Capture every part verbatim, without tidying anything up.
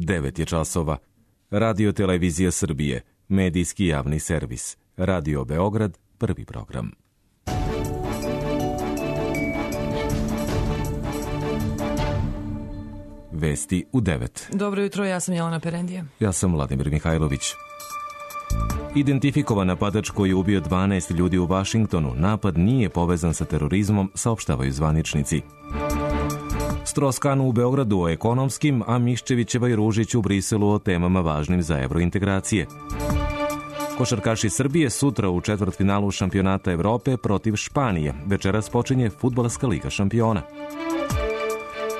devet je časova. Radio Televizija Srbije, medijski javni servis. Radio Beograd, prvi program. Vesti u devet. Dobro jutro, ja sam Jelena Perendija. Ja sam Vladimir Mihajlović. Identifikovan napadač koji je ubio dvanaest ljudi u Vašingtonu. Napad nije povezan sa terorizmom, saopštavaju zvaničnici. Strauss-Kahn u Beogradu o ekonomskim, a Miščevićeva i Ružić u Briselu o temama važnim za evrointegracije. Košarkaši Srbije sutra u četvrtfinalu šampionata Evrope protiv Španije. Večeras počinje Fudbalska liga šampiona.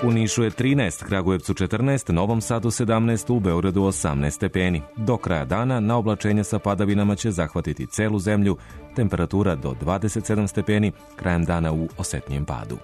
U Nišu je trinaest, Kragujevcu četrnaest, Novom Sadu sedamnaest, u Beogradu osamnaest stepeni. Do kraja dana na oblačenje sa padavinama će zahvatiti celu zemlju, temperatura do dvadeset sedam stepeni, krajem dana u osetnijem padu.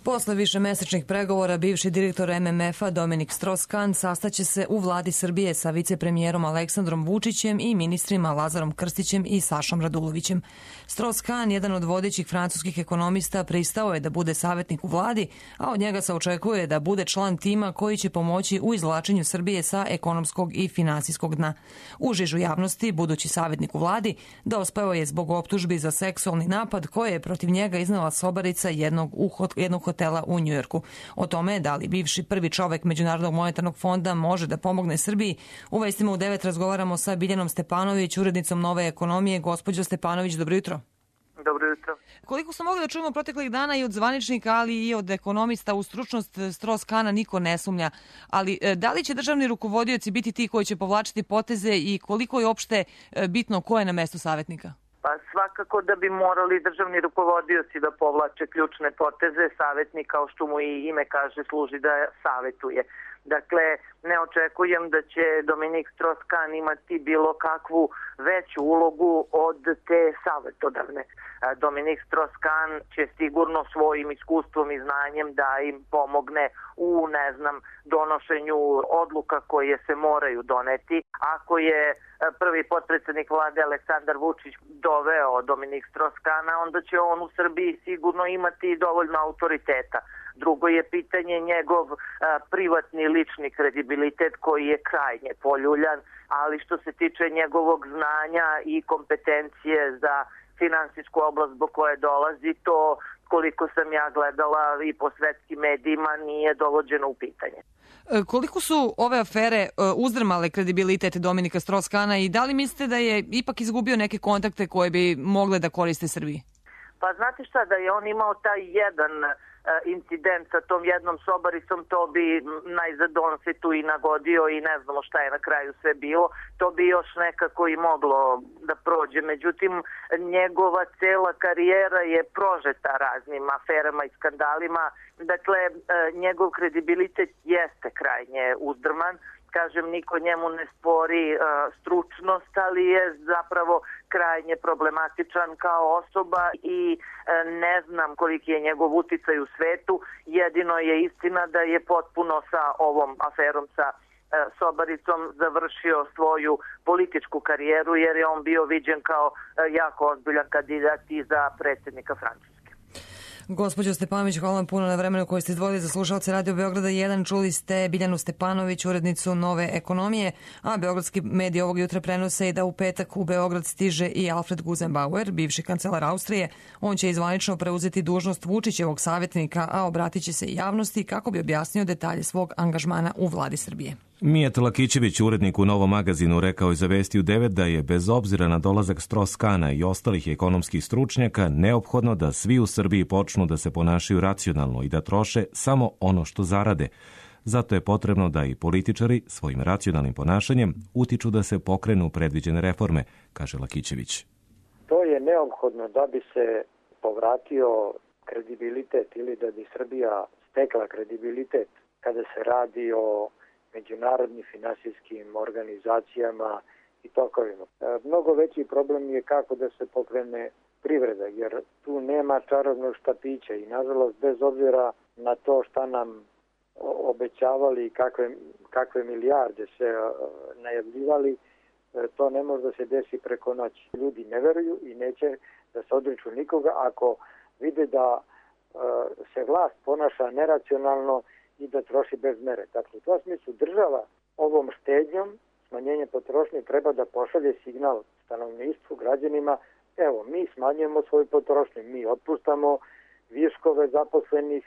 Posle višemesečnih pregovora, bivši direktor M M F-a Dominik Strauss-Kahn sastaće se u vladi Srbije sa vicepremijerom Aleksandrom Vučićem i ministrima Lazarom Krstićem i Sašom Radulovićem. Strauss-Kahn, jedan od vodećih francuskih ekonomista, pristao je da bude savjetnik u vladi, a od njega se očekuje da bude član tima koji će pomoći u izvlačenju Srbije sa ekonomskog i finansijskog dna. U žižu javnosti, budući savjetnik u vladi, dospeo je zbog optužbi za seksualni napad koje je protiv njega iznela sobarica jednog, jednog hotela u Njujorku. O tome da li bivši prvi čovek Međunarodnog monetarnog fonda može da pomogne Srbiji, u vestima u devet razgovaramo sa Biljanom Stepanović, urednicom Nove ekonomije. Gospođo Stepanović, dobro jutro. Dobro jutro. Koliko smo mogli da čujemo proteklih dana i od zvaničnika, ali i od ekonomista, u stručnost Strauss-Kahna niko ne sumnja. Ali da li će državni rukovodioci biti ti koji će povlačiti poteze i koliko je uopšte bitno ko je na mestu savjetnika? Pa svakako da bi morali državni rukovodioci da povlače ključne poteze. Savjetnik, kao što mu i ime kaže, služi da savjetuje. Dakle, ne očekujem da će Dominik Strauss-Kahn imati bilo kakvu veću ulogu od te savjetodavne. Dominik Strauss-Kahn će sigurno svojim iskustvom i znanjem da im pomogne u, ne znam, donošenju odluka koje se moraju doneti. Ako je prvi potpredsjednik vlade Aleksandar Vučić doveo Dominik Strauss-Kahna, onda će on u Srbiji sigurno imati dovoljno autoriteta. Drugo je pitanje njegov a, privatni lični kredibilitet koji je krajnje poljuljan, ali što se tiče njegovog znanja i kompetencije za finansijsku oblast zbog koje dolazi, to koliko sam ja gledala i po svetskim medijima nije dovođeno u pitanje. Koliko su ove afere uzdrmale kredibilitet Dominika Strauss-Kahna i da li mislite da je ipak izgubio neke kontakte koje bi mogle da koriste Srbiji? Pa znate šta, da je on imao taj jedan incident sa tom jednom sobaricom, to bi najzad on se tu i nagodio i ne znamo šta je na kraju sve bilo, to bi još nekako i moglo da prođe. Međutim, njegova cela karijera je prožeta raznim aferama i skandalima, dakle, njegov kredibilitet jeste krajnje uzdrman. Kažem, niko njemu ne spori uh, stručnost, ali je zapravo krajnje problematičan kao osoba i uh, ne znam koliki je njegov uticaj u svetu. Jedino je istina da je potpuno sa ovom aferom sa uh, sobaricom završio svoju političku karijeru, jer je on bio viđen kao uh, jako ozbiljan kandidat i za predsjednika Francuske. Gospođo Stepanović, hvala vam puno na vremenu koje ste izdvojili za slušalce Radio Beograda jedan. Čuli ste Biljanu Stepanović, urednicu Nove ekonomije, a beogradski mediji ovog jutra prenose i da u petak u Beograd stiže i Alfred Gusenbauer, bivši kancelar Austrije. On će izvanično preuzeti dužnost Vučićevog savjetnika, a obratit će se i javnosti kako bi objasnio detalje svog angažmana u vladi Srbije. Mijat Lakićević, urednik u Novom magazinu, rekao je za Vesti u devet da je bez obzira na dolazak Strauss-Kahna i ostalih ekonomskih stručnjaka neophodno da svi u Srbiji počnu da se ponašaju racionalno i da troše samo ono što zarade. Zato je potrebno da i političari svojim racionalnim ponašanjem utiču da se pokrenu predviđene reforme, kaže Lakićević. To je neophodno da bi se povratio kredibilitet ili da bi Srbija stekla kredibilitet kada se radi o međunarodnim finansijskim organizacijama i tokovima. Mnogo veći problem je kako da se pokrene privreda, jer tu nema čarobnog štapića i nažalost bez obzira na to šta nam obećavali i kakve, kakve milijarde se najavljivali, to ne može da se desi preko noći. Ljudi ne veruju i neće da se odriču nikoga ako vide da se vlast ponaša neracionalno i da troši bez mere. Dakle, u tom smislu država ovom štednjom, smanjenje potrošnje, treba da pošalje signal stanovništvu, građanima, evo, mi smanjujemo svoju potrošnju, mi otpuštamo viškove zaposlenih,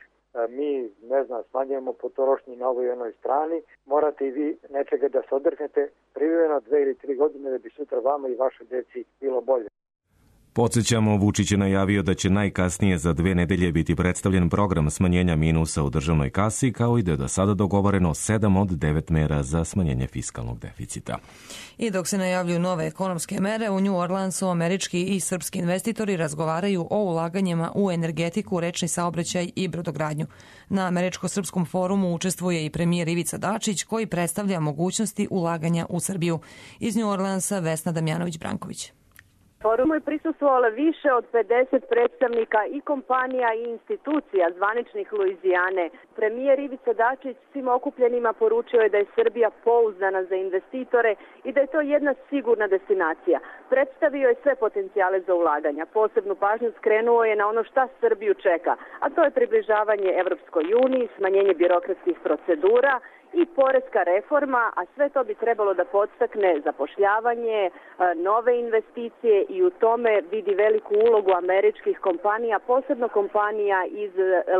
mi, ne znam, smanjujemo potrošnju na ovoj jednoj strani, morate i vi nečega da se odrhnete privremeno dve ili tri godine da bi sutra vama i vašoj deci bilo bolje. Podsjećamo, Vučić je najavio da će najkasnije za dve nedelje biti predstavljen program smanjenja minusa u državnoj kasi, kao i da je do sada dogovoreno sedam od devet mera za smanjenje fiskalnog deficita. I dok se najavljuju nove ekonomske mere, u New Orleansu američki i srpski investitori razgovaraju o ulaganjima u energetiku, rečni saobraćaj i brodogradnju. Na američko-srpskom forumu učestvuje i premijer Ivica Dačić, koji predstavlja mogućnosti ulaganja u Srbiju. Iz New Orleansa Vesna Damjanović-Branković. Forumu je prisustvovalo više od pedeset predstavnika i kompanija i institucija zvaničnih Luizijane. Premijer Ivica Dačić svim okupljenima poručio je da je Srbija pouzdana za investitore i da je to jedna sigurna destinacija. Predstavio je sve potencijale za ulaganja. Posebnu pažnju skrenuo je na ono šta Srbiju čeka, a to je približavanje Evropskoj uniji, smanjenje birokratskih procedura i poreska reforma, a sve to bi trebalo da podstakne zapošljavanje, nove investicije i u tome vidi veliku ulogu američkih kompanija, posebno kompanija iz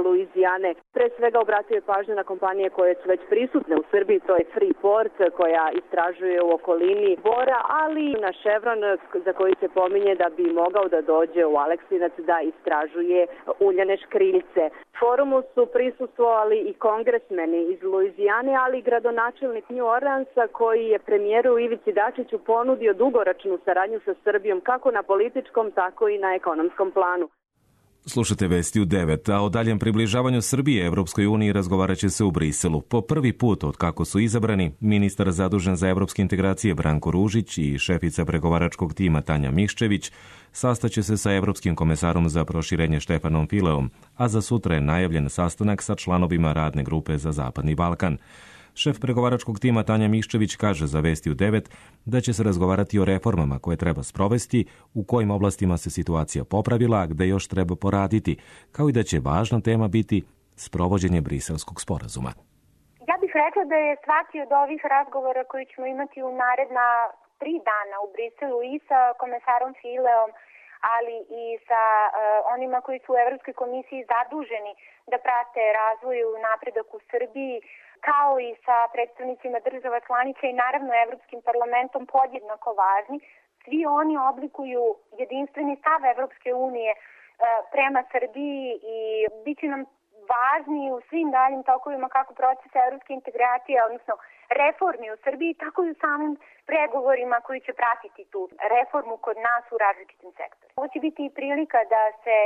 Luizijane. Pre svega obratio je pažnju na kompanije koje su već prisutne u Srbiji, to je Freeport koja istražuje u okolini Bora, ali na Chevron za koji se pominje da bi mogao da dođe u Aleksinac da istražuje uljane škriljce. Forumu su prisustvovali i kongresmeni iz Luizijane, ali i gradonačelnik New Orleansa koji je premijeru Ivici Dačiću ponudio dugoročnu saradnju sa Srbijom kako na političkom, tako i na ekonomskom planu. Slušate vesti u devet, a o daljem približavanju Srbije Evropskoj uniji razgovarat će se u Briselu. Po prvi put od kako su izabrani, ministar zadužen za evropske integracije Branko Ružić i šefica pregovaračkog tima Tanja Miščević sastaće se sa evropskim komesarom za proširenje Štefanom Fileom, a za sutra je najavljen sastanak sa članovima radne grupe za Zapadni Balkan. Šef pregovaračkog tima Tanja Miščević kaže za vesti u devet da će se razgovarati o reformama koje treba sprovesti, u kojim oblastima se situacija popravila, a gde još treba poraditi, kao i da će važna tema biti sprovođenje Briselskog sporazuma. Ja bih rekla da je svaki od ovih razgovora koji ćemo imati u naredna tri dana u Briselu i sa komesarom Fileom, ali i sa uh, onima koji su u Evropskoj komisiji zaduženi da prate razvoj i napredak u Srbiji, kao i sa predstavnicima država članica i naravno Evropskim parlamentom podjednako važni. Svi oni oblikuju jedinstveni stav Evropske unije uh, prema Srbiji i bit će nam važni u svim daljim tokovima kako procesa evropske integracije, odnosno reformi u Srbiji, tako i u samim pregovorima koji će pratiti tu reformu kod nas u različitim sektorima. Ovo će biti i prilika da se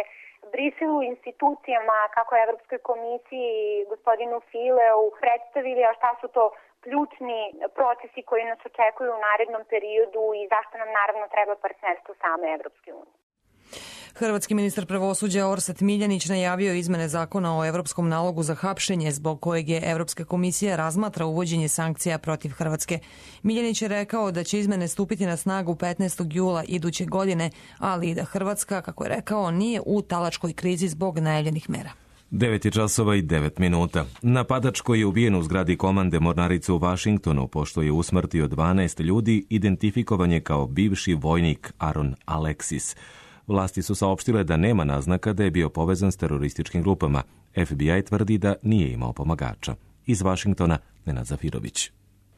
Briselu institucijama, kako Evropskoj komisiji i gospodinu Fileu predstavili, a šta su to ključni procesi koji nas očekuju u narednom periodu i zašto nam naravno treba partnerstvo same Evropske unije. Hrvatski ministar pravosuđa Orsat Miljanić najavio izmene zakona o evropskom nalogu za hapšenje, zbog kojeg je Evropska komisija razmatra uvođenje sankcija protiv Hrvatske. Miljanić je rekao da će izmene stupiti na snagu petnaestog jula iduće godine, ali i da Hrvatska, kako je rekao, nije u talačkoj krizi zbog najavljenih mera. devet je časova i devet minuta. Napadač koji je ubijen u zgradi komande mornarice u Vašingtonu, pošto je usmrtio dvanaest ljudi, identifikovan je kao bivši vojnik Aaron Alexis. Vlasti su saopštile da nema naznaka da je bio povezan s terorističkim grupama. F B I tvrdi da nije imao pomagača. Iz Vašingtona, Nenad Zafirović.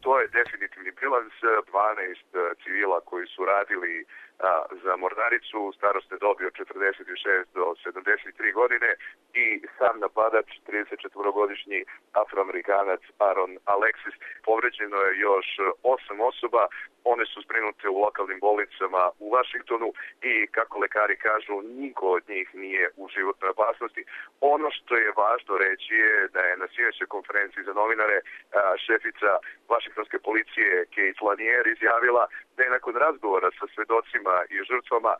To je definitivni bilans, dvanaest civila koji su radili a, za mornaricu, starosne dobi od četrdeset šest do sedamdeset tri godine i sam napadač, tridesetčetvorogodišnji afroamerikanac Aaron Alexis. Povređeno je još osam osoba, one su zbrinute u lokalnim bolnicama u Vašingtonu i, kako lekari kažu, niko od njih nije u životnoj opasnosti. Ono što je važno reći je da je na sinoćnoj konferenciji za novinare a, šefica vašingtonske policije Kate Lanier izjavila da je nakon razgovora sa svedocima i žrtvama a,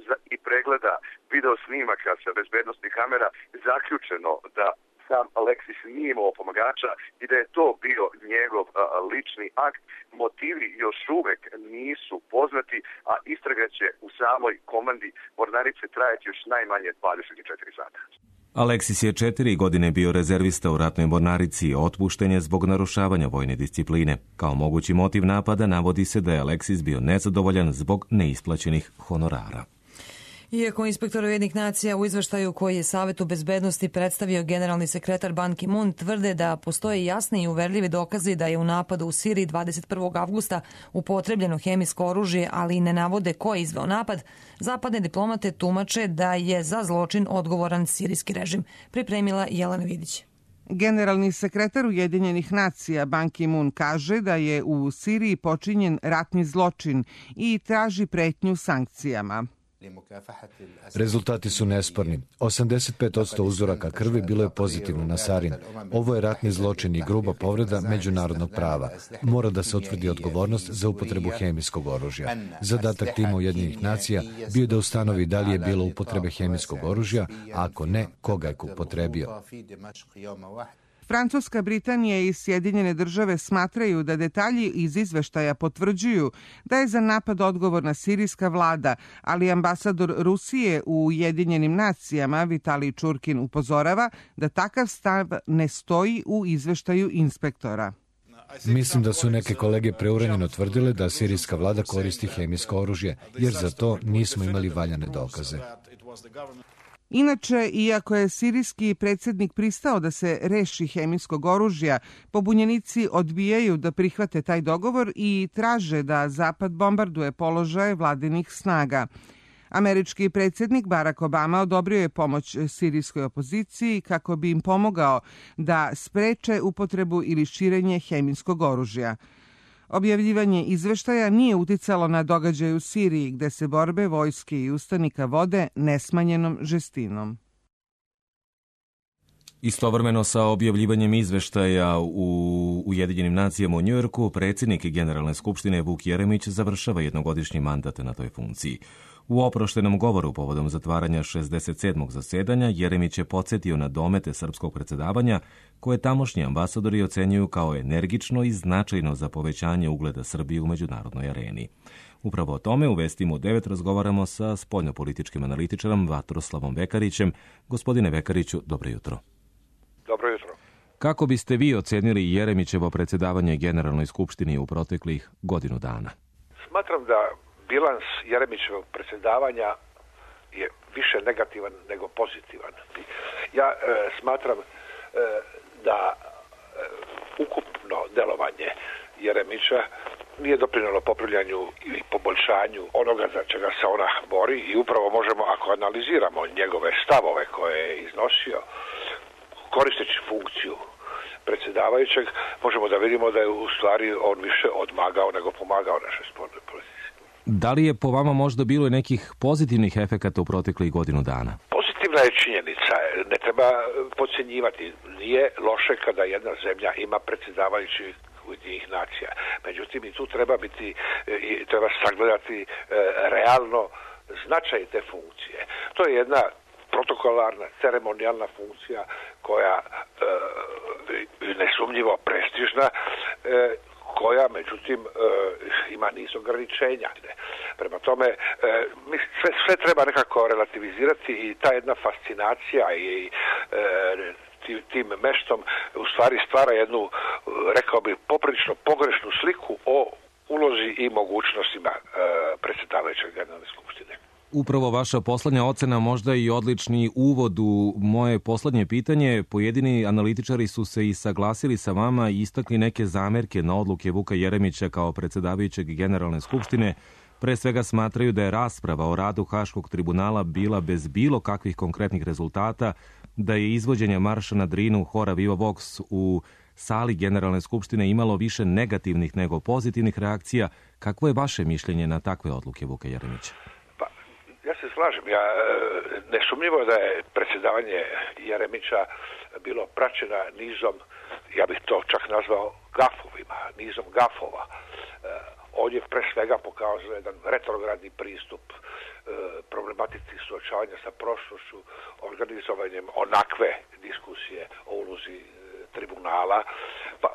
za, i pregleda video snimaka sa bezbednostnih kamera zaključeno da sam Alexis nije imao pomagača i da je to bio njegov a, lični akt. Motivi još uvek nisu poznati, a istraga će u samoj komandi mornarice trajati još najmanje dvadeset četiri sata. Aleksis je četiri godine bio rezervista u ratnoj mornarici i otpušten je zbog narušavanja vojne discipline. Kao mogući motiv napada navodi se da je Aleksis bio nezadovoljan zbog neisplaćenih honorara. Iako inspektor Ujedinjenih nacija u izveštaju koji je Savetu bezbednosti predstavio generalni sekretar Ban Ki-moon tvrde da postoje jasni i uverljivi dokazi da je u napadu u Siriji dvadeset prvog avgusta upotrebljeno hemijsko oružje, ali i ne navode ko je izveo napad, zapadne diplomate tumače da je za zločin odgovoran sirijski režim. Pripremila Jelena Vidić. Generalni sekretar Ujedinjenih nacija Ban Ki-moon kaže da je u Siriji počinjen ratni zločin i traži pretnju sankcijama. Rezultati su nesporni. osamdeset pet posto uzoraka krvi bilo je pozitivno na sarin. Ovo je ratni zločin i gruba povreda međunarodnog prava. Mora da se utvrdi odgovornost za upotrebu hemijskog oružja. Zadatak tima Ujedinjenih nacija bio da ustanovi da li je bilo upotrebe hemijskog oružja, a ako ne, koga je upotrebio. Francuska, Britanija i Sjedinjene države smatraju da detalji iz izveštaja potvrđuju da je za napad odgovorna sirijska vlada, ali ambasador Rusije u Ujedinjenim nacijama Vitalij Čurkin upozorava da takav stav ne stoji u izveštaju inspektora. Mislim da su neke kolege preuranjeno tvrdile da sirijska vlada koristi hemijsko oružje, jer za to nismo imali valjane dokaze. Inače, iako je sirijski predsjednik pristao da se reši hemijskog oružja, pobunjenici odbijaju da prihvate taj dogovor i traže da Zapad bombarduje položaje vladinih snaga. Američki predsjednik Barack Obama odobrio je pomoć sirijskoj opoziciji kako bi im pomogao da spreče upotrebu ili širenje hemijskog oružja. Objavljivanje izveštaja nije uticalo na događaj u Siriji, gde se borbe vojske i ustanika vode nesmanjenom žestinom. Istovremeno sa objavljivanjem izveštaja u Ujedinjenim nacijama u Njujorku, predsjednik Generalne skupštine Vuk Jeremić završava jednogodišnji mandat na toj funkciji. U oproštenom govoru povodom zatvaranja šezdeset sedmog zasedanja Jeremić je podsjetio na domete srpskog predsjedavanja koje tamošnji ambasadori ocenjuju kao energično i značajno za povećanje ugleda Srbije u međunarodnoj areni. Upravo o tome u Vestima u devet razgovaramo sa spoljnopolitičkim analitičarom Vatroslavom Vekarićem. Gospodine Vekariću, dobro jutro. Dobro jutro. Kako biste vi ocenili Jeremićevo predsjedavanje Generalnoj skupštini u proteklih godinu dana? Smatram da bilans Jeremićevog predsjedavanja je više negativan nego pozitivan. Ja e, smatram e, da e, ukupno delovanje Jeremića nije doprinijelo popravljanju ili poboljšanju onoga za čega se ona bori i upravo možemo, ako analiziramo njegove stavove koje je iznosio, koristeći funkciju predsjedavajućeg, možemo da vidimo da je u stvari on više odmagao nego pomagao našoj spoljnoj politici. Da li je po vama možda bilo i nekih pozitivnih efekata u proteklih godinu dana? Pozitivna je činjenica, ne treba podcjenjivati. Nije loše kada jedna zemlja ima predsjedavajući Ujedinjenih nacija. Međutim, i tu treba biti, i treba sagledati e, realno značaj te funkcije. To je jedna protokolarna, ceremonijalna funkcija koja e, nesumnjivo prestižna, e, koja međutim e, ima niz ograničenja. Prema tome, e, sve, sve treba nekako relativizirati i ta jedna fascinacija i e, tim meštom u stvari stvara jednu, rekao bih, poprilično pogrešnu sliku o ulozi i mogućnostima e, predsjedavajućeg Generalne skupštine. Upravo vaša poslednja ocena, možda i odlični uvod u moje poslednje pitanje. Pojedini analitičari su se i saglasili sa vama i istakli neke zamerke na odluke Vuka Jeremića kao predsjedavajućeg Generalne skupštine. Pre svega smatraju da je rasprava o radu Haškog tribunala bila bez bilo kakvih konkretnih rezultata, da je izvođenje marša na Drinu Hora Viva Vox u sali Generalne skupštine imalo više negativnih nego pozitivnih reakcija. Kakvo je vaše mišljenje na takve odluke Vuka Jeremića? Ja se slažem. Ja, nesumnjivo da je predsjedavanje Jeremića bilo praćeno nizom, ja bih to čak nazvao gafovima, nizom gafova. On je pre svega pokazao jedan retrogradni pristup problematici suočavanja sa prošlošću, organizovanjem onakve diskusije o ulozi tribunala. Pa,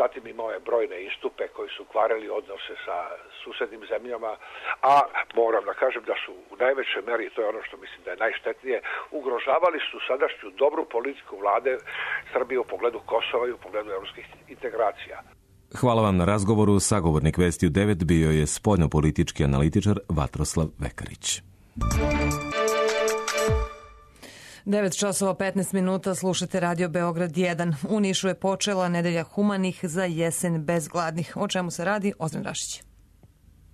zatim imao je brojne istupe koji su kvarili odnose sa susednim zemljama, a moram da kažem da su u najvećoj meri, to je ono što mislim da je najštetnije, ugrožavali su sadašnju dobru politiku vlade Srbije u pogledu Kosova i u pogledu evropskih integracija. Hvala vam na razgovoru. Sagovornik Vesti u devet bio je spoljnopolitički analitičar Vatroslav Vekarić. devet časova petnaest minuta, slušate Radio Beograd jedan. U Nišu je počela nedelja humanih za jesen bez gladnih. O čemu se radi? Ozren Rašić.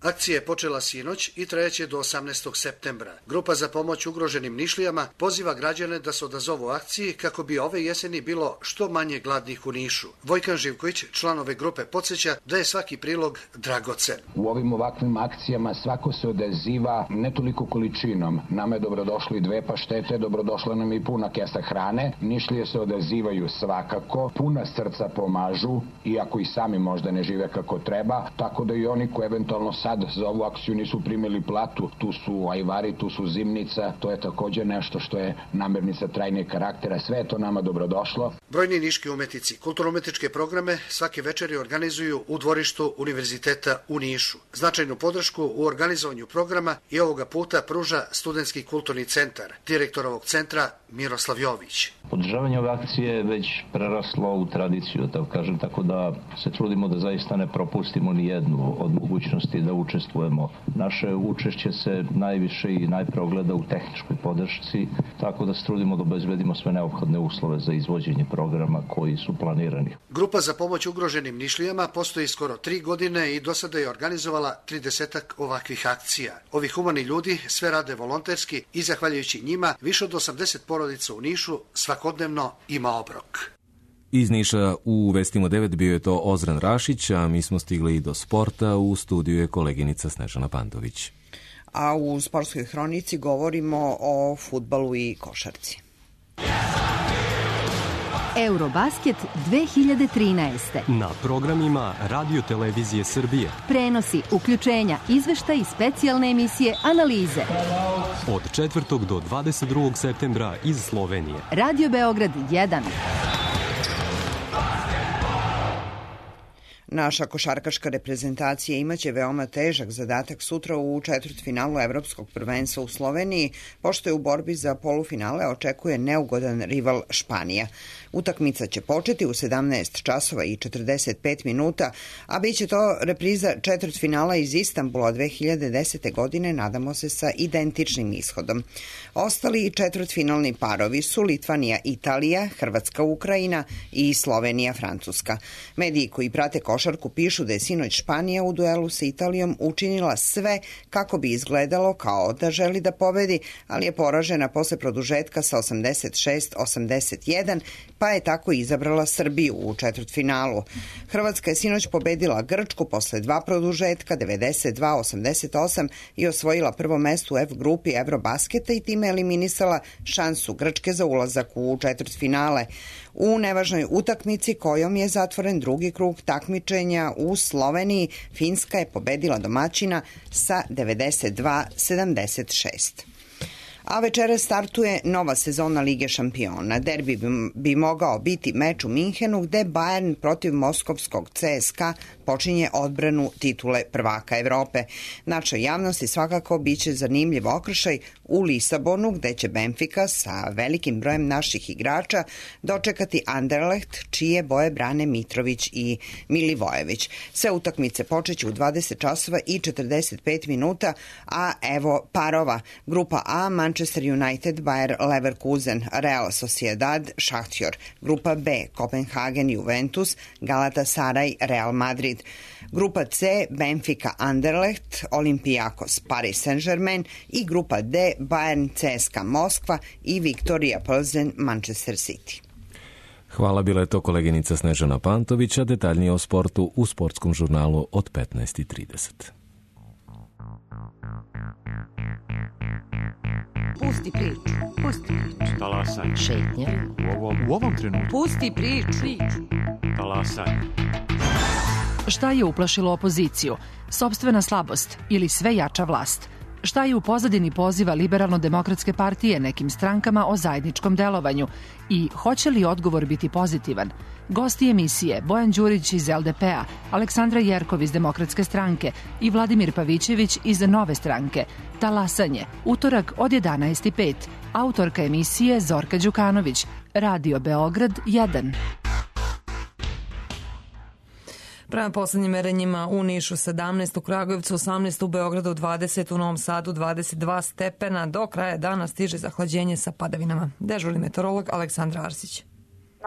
Akcija je počela sinoć i trajeće do osamnaestog septembra. Grupa za pomoć ugroženim Nišlijama poziva građane da se odazovu akciji kako bi ove jeseni bilo što manje gladnih u Nišu. Vojkan Živković, član ove grupe, podsjeća da je svaki prilog dragocen. U ovim ovakvim akcijama svako se odaziva ne toliko količinom. Nama je dobrodošli dve paštete, dobrodošla nam i puna kesa hrane. Nišlije se odazivaju svakako, puna srca pomažu, iako i sami možda ne žive kako treba, tako da i oni koji eventualno sad za ovu akciju nisu primili platu, tu su ajvari, tu su zimnica, to je također nešto što je namirnica trajnijeg karaktera, sve je to nama dobrodošlo. Brojni niški umetnici kulturno-umetničke programe svake večeri organizuju u dvorištu Univerziteta u Nišu. Značajnu podršku u organizovanju programa i ovoga puta pruža Studentski kulturni centar. Direktor ovog centra Miroslav Jović. Održavanje ove akcije je već preraslo u tradiciju, tako kažem, tako da se trudimo da zaista ne propustimo ni jednu od mogućnosti da učestvujemo. Naše učešće se najviše i najpre ogleda u tehničkoj podršci, tako da se trudimo da obezbedimo sve neophodne uslove za izvođenje programa koji su planirani. Grupa za pomoć ugroženim Nišlijama postoji skoro tri godine i do sada je organizovala tridesetak ovakvih akcija. Ovi humani ljudi sve rade volonterski i zahvaljujući njima više od osamdeset porodica u Nišu svakodnevno ima obrok. Iz Niša u Vestima devet bio je to Ozren Rašić, a mi smo stigli i do sporta. U studiju je koleginica Snežana Pantović. A u sportskoj hronici govorimo o fudbalu i košarci. Eurobasket dve hiljade trinaeste. Na programima Radio Televizije Srbije. Prenosi, uključenja, izveštaj i specijalne emisije, analize. Od četvrtog do dvadeset drugog septembra iz Slovenije. Radio Beograd jedan. Naša košarkaška reprezentacija imaće veoma težak zadatak sutra u četvrtfinalu Evropskog prvenstva u Sloveniji, pošto je u borbi za polufinale očekuje neugodan rival Španija. Utakmica će početi u sedamnaest časova i četrdeset pet minuta, a bit će to repriza četvrtfinala iz Istanbula dve hiljade desete. godine, nadamo se sa identičnim ishodom. Ostali četvrtfinalni parovi su Litvanija Italija, Hrvatska Ukrajina i Slovenija Francuska. Mediji koji prate košarku pišu da je sinoć Španija u duelu sa Italijom učinila sve kako bi izgledalo kao da želi da pobedi, ali je poražena posle produžetka sa osamdeset šest osamdeset jedan, pa je tako izabrala Srbiju u četvrtfinalu. Hrvatska je sinoć pobedila Grčku posle dva produžetka devedeset dva osamdeset osam i osvojila prvo mesto u F grupi Eurobasketa i time eliminisala šansu Grčke za ulazak u četvrtfinale. U nevažnoj utakmici kojom je zatvoren drugi krug takmičenja u Sloveniji, Finska je pobedila domaćina sa devedeset dva sedamdeset šest. A večera startuje nova sezona Lige šampiona. Derbi bi, bi mogao biti meč u Minhenu gde Bayern protiv moskovskog C S K A počinje odbranu titule prvaka Evrope. Našoj javnosti svakako biće zanimljiv okršaj u Lisabonu gde će Benfica sa velikim brojem naših igrača dočekati Anderlecht čije boje brane Mitrović i Milivojević. Sve utakmice počeće u dvadeset časova i četrdeset pet minuta, a evo parova. Grupa A, Manchester United, Bayer Leverkusen, Real Sociedad, Šahtjor. Grupa B, Kopenhagen, Juventus, Galatasaray, Real Madrid. Grupa C, Benfica, Anderlecht, Olympiakos, Paris Saint-Germain i grupa D, Bayern, C S K A Moskva i Viktorija Plzen, Manchester City. Hvala, bila je to koleginica Snežana Pantović, a detaljnije o sportu u sportskom žurnalu od petnaest i trideset. Pusti priču, pusti priču. Talasaj. Šetnja. U ovom, u ovom trenutku. Pusti priču. Talasaj. Šta je uplašilo opoziciju? Sopstvena slabost ili sve jača vlast? Šta je u pozadini poziva Liberalno-demokratske partije nekim strankama o zajedničkom delovanju i hoće li odgovor biti pozitivan? Gosti emisije Bojan Đurić iz L D P-a, Aleksandra Jerkov iz Demokratske stranke i Vladimir Pavićević iz Nove stranke. Talasanje, utorak od jedanaest i pet. Autorka emisije Zorka Đukanović, Radio Beograd jedan. Prema poslednjim merenjima u Nišu sedamnaest, u Kragujevcu osamnaest, u Beogradu dvadeset, u Novom Sadu dvadeset dva stepena. Do kraja dana stiže zahlađenje sa padavinama. Dežurni meteorolog Aleksandra Arsić.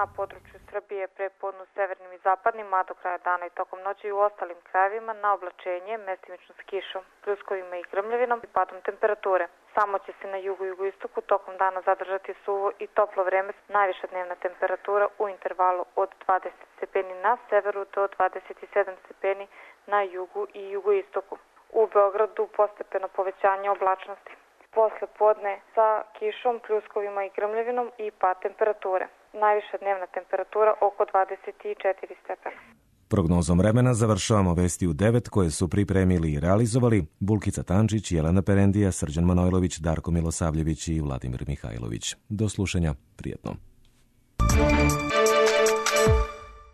Na području Srbije prepodne u severnim i zapadnim, a do kraja dana i tokom noći i u ostalim krajevima na oblačenje, mestimično s kišom, pljuskovima i grmljavinom i padom temperature. Samo će se na jugu i jugoistoku tokom dana zadržati suvo i toplo vreme, najviša dnevna temperatura u intervalu od dvadeset stepeni na severu do dvadeset sedam stepeni na jugu i jugoistoku. U Beogradu postepeno povećanje oblačnosti. Posle podne sa kišom, pljuskovima i grmljavinom i pad temperature. Najviša dnevna temperatura oko dvadeset četiri stepena. Prognozom vremena završavamo vesti u devet koje su pripremili i realizovali Bulkica Tančić, Jelena Perendija, Srđan Manojlović, Darko Milosavljević i Vladimir Mihajlović. Do slušanja, prijetno.